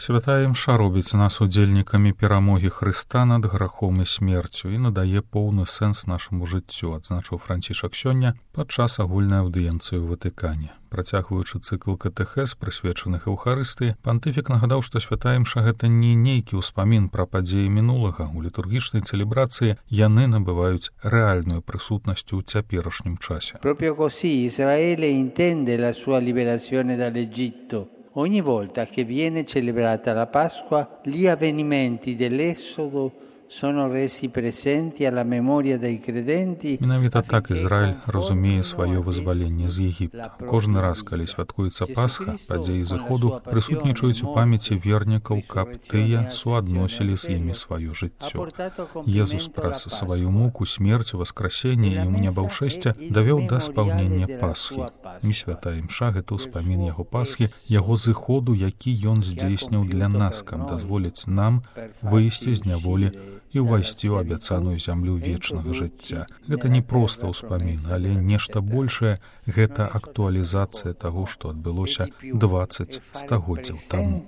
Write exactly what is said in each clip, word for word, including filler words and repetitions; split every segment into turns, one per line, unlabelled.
Святая імша робіць нас удзельнікамі перамогі Хрыста над грахом і смерцю і надае поўны сэнс нашаму жыццю, адзначыў Францішак сёння падчас агульнай аўдыенцыі ў Ватыкане. Працягваючы цыкл катэхез, прысвечаных Еўхарыстыі, пантыфік нагадаў, што святая імша гэта не нейкі ўспамін пра падзеі мінулага. У літургічнай цэлебрацыі яны набываюць рэальную прысутнасць у цяперашнім часе.
Proprio così Israele intende la sua liberazione dall'Egitto. Ogni volta che viene celebrata la Pasqua, gli avvenimenti dell'Esodo sono resi presenti alla memoria dei credenti.
Менавіта так Ізраіль разумее сваё вызваленне з Егіпта. Кожны раз, калі святкуецца Пасха, падзеі зыходу прысутнічаюць у памяці вернікаў, каб тыя суадносілі з імі сваё жыццё. Езус праз сваю муку, смерць, васкрасенне і ў небаўшэсце давёў да спаўнення Пасхі. І святая імша — гэта ўспамін яго Пасхі, яго зыходу, які ён здзейсніў для нас, каб дазволіць нам выйсці з няволі і ўвайсці ў абяцаную зямлю вечнага жыцця. Гэта не проста ўспамін, але нешта большае — гэта актуалізацыя таго, што адбылося дваццаць стагоддзяў таму.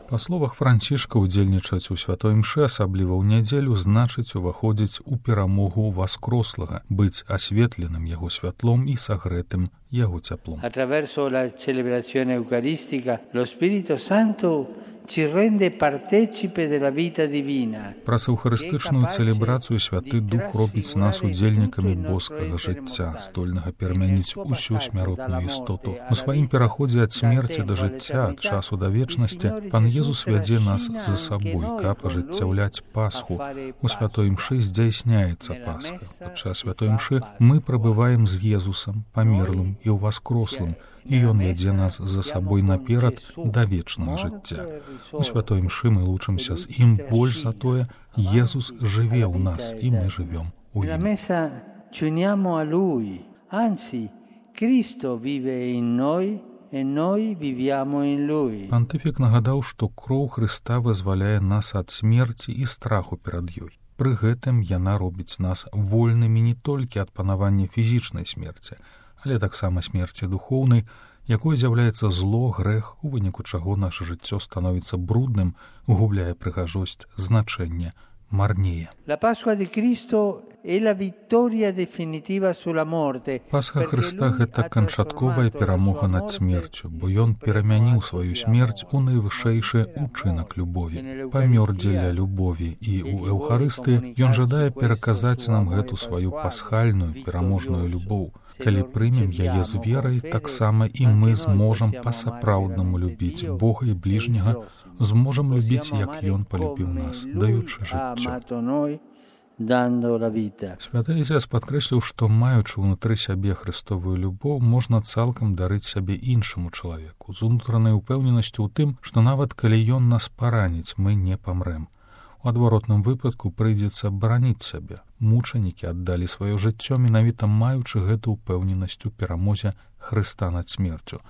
Па словах Францішка, удзельнічаць у святой імшы, асабліва ў нядзелю, значыць уваходзіць у перамогу васкрослага, быць асветленым яго святлом і сагрэтым яго цяплом.
Attraverso la celebrazione eucaristica, lo Spirito Santo ci rende partecipe della vita divina.
Праз еўхарыстычную цэлебрацыю святы Дух робіць нас удзельнікамі боскага жыцця, здольнага перамяніць усю смяротную істоту. У сваім пераходзе ад смерці да жыцця, ад часу да вечнасці, Пан Езус вядзе нас за сабой, каб ажыццяўляць Пасху. У святой імшы здзяйсняецца Пасха. Падчас святой імшы мы прабываем з Езусам, памерлым і ўваскрослым, і ён вядзе нас за сабой наперад да вечнага жыцця. У святой імшы мы лучымся з ім больш за тое, Езус жыве ў нас, і мы жывём у ім.
Ci uniamo a Lui, anzi, Cristo vive in noi e noi viviamo in Lui.
Пантыфік нагадаў, што кроў Хрыста вызваляе нас ад смерці і страху перад ёй. Пры гэтым яна робіць нас вольнымі не толькі ад панавання фізічнай смерці, але таксама смерці духоўнай, якой з'яўляецца зло, грэх, у выніку чаго наша жыццё становіцца брудным, губляе прыгажосць, значэнне, марнее.
La Pasqua di Cristo è la vittoria definitiva sulla morte.
Пасха Хрыста — гэта канчатковая перамога над смерцю, бо ён перамяніў сваю смерць у найвышэйшы учынак любові. Памёр дзеля любові, і ў Еўхарыстыі ён жадае пераказаць нам гэту сваю пасхальную, пераможную любоў. Калі прымем яе з верай, таксама і мы зможам па-сапраўднаму любіць Бога і бліжняга, зможам любіць, як ён палюбіў нас, даючы жыццё. Святы Ісус падкрэсліў, што, маючы ўнутры сябе Хрыстовую любоў, можна цалкам дарыць сябе іншаму чалавеку, з унутранай упэўненасцю ў тым, што нават калі ён нас параніць, мы не памрэм. У адваротным выпадку прыйдзецца бараніць сябе. Мучанікі аддалі сваё жыццё, менавіта маючы гэту упэўненасць у перамозе Хрыста над смерцю.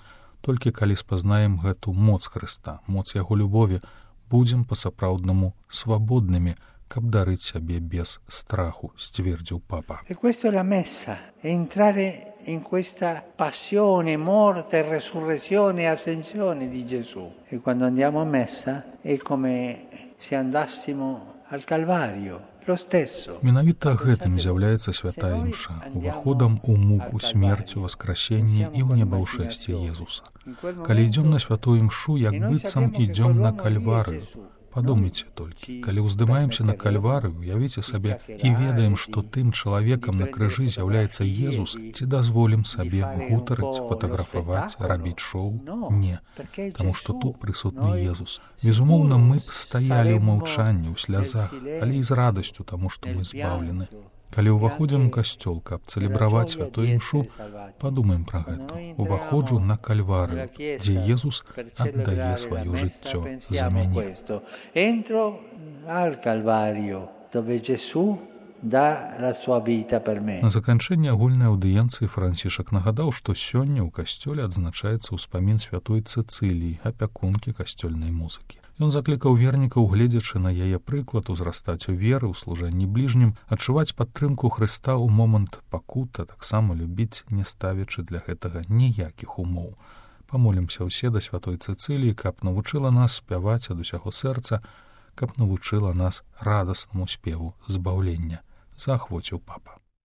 Толькі калі спазнаем гэту моц Хрыста, моц яго любові, будзем па-сапраўднаму свабоднымі, каб дарыць сябе без страху, сцвердзіў папа.
E questa è la messa, è entrare in questa passione, morte, resurrezione e ascensione di Gesù. E quando andiamo a messa è come se andassimo al Calvario, lo stesso.
Менавіта гэтым з'яўляецца святая імша, уваходам у муку, смерцю, васкрасенне і ў небаўшэсце Езуса. Калі ідзём на святую імшу, як быццам ідзём на Кальварыю. Падумайце толькі, калі ўздымаемся на Кальварыю, уявіце сабе і ведаем, што тым чалавекам на крыжы з'яўляецца Езус, ці дазволім сабе гутарыць, фатаграфаваць, рабіць шоу? Не, таму што тут прысутны Езус. Безумоўна, мы б стаялі ў маўчанні, ў слязах, але і з радасцю, таму што мы збаўлены. Калі ўваходзім у касцёл, каб цэлебраваць святую імшу, падумаем пра гэта. Уваходжу на Кальварыю, дзе Езус аддае сваё жыццё за мяне.
Entro al Calvario, dove Gesù dà la sua vita per me.
На заканчэнне агульнай аўдыенцыі Францішак нагадаў, што сёння ў касцёле адзначаецца ўспамін святой Цэцыліі, апякункі касцёльнай музыкі. Ён заклікаў вернікаў, гледзячы на яе прыклад, узрастаць у веры, ў служэнні бліжнім, адчуваць падтрымку Хрыста ў момант пакут, а таксама любіць, не ставячы для гэтага ніякіх умоў. Памолімся ўсе да святой Цэцыліі, каб навучыла нас спяваць ад усяго сэрца, каб навучыла нас радаснаму спеву збаўлення. Заахвоціў папа.